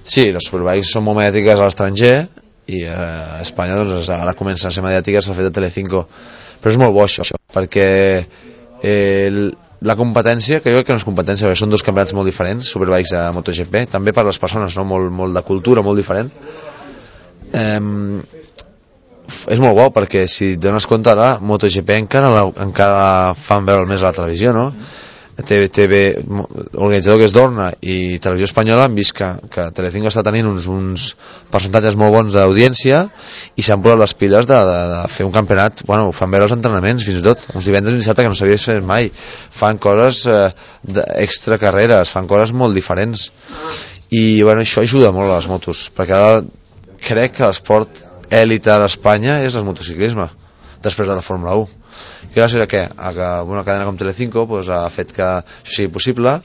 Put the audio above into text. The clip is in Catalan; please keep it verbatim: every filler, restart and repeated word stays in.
Sí, les Superbikes són molt mediàtiques a l'estranger i a Espanya doncs, ara comencen a ser mediàtiques al fet de Telecinco, però és molt bo això, perquè eh, la competència, que jo crec que no és competència, perquè són dos campionats molt diferents, Superbikes a MotoGP, també per les persones, no? molt, molt de cultura, molt diferent. Eh, és molt bo perquè si et dones compte ara MotoGP encara, la, encara fan veure més a la televisió, no? T V, T V, l'organitzador que és Dorna i Televisió Espanyola han vist que, que Telecinco està tenint uns, uns percentatges molt bons d'audiència i s'han posat les piles de, de, de fer un campionat, bueno, ho fan veure els entrenaments fins i tot, uns divendres i dissabte que no s'havia fet mai, fan coses eh, extra carreres, fan coses molt diferents i bueno, això ajuda molt a les motos, perquè ara crec que l'esport èlite a l'Espanya és el motociclisme després de la Fórmula u. Gràcies a què? A que una cadena com Telecinco pues, ha fet que això sigui possible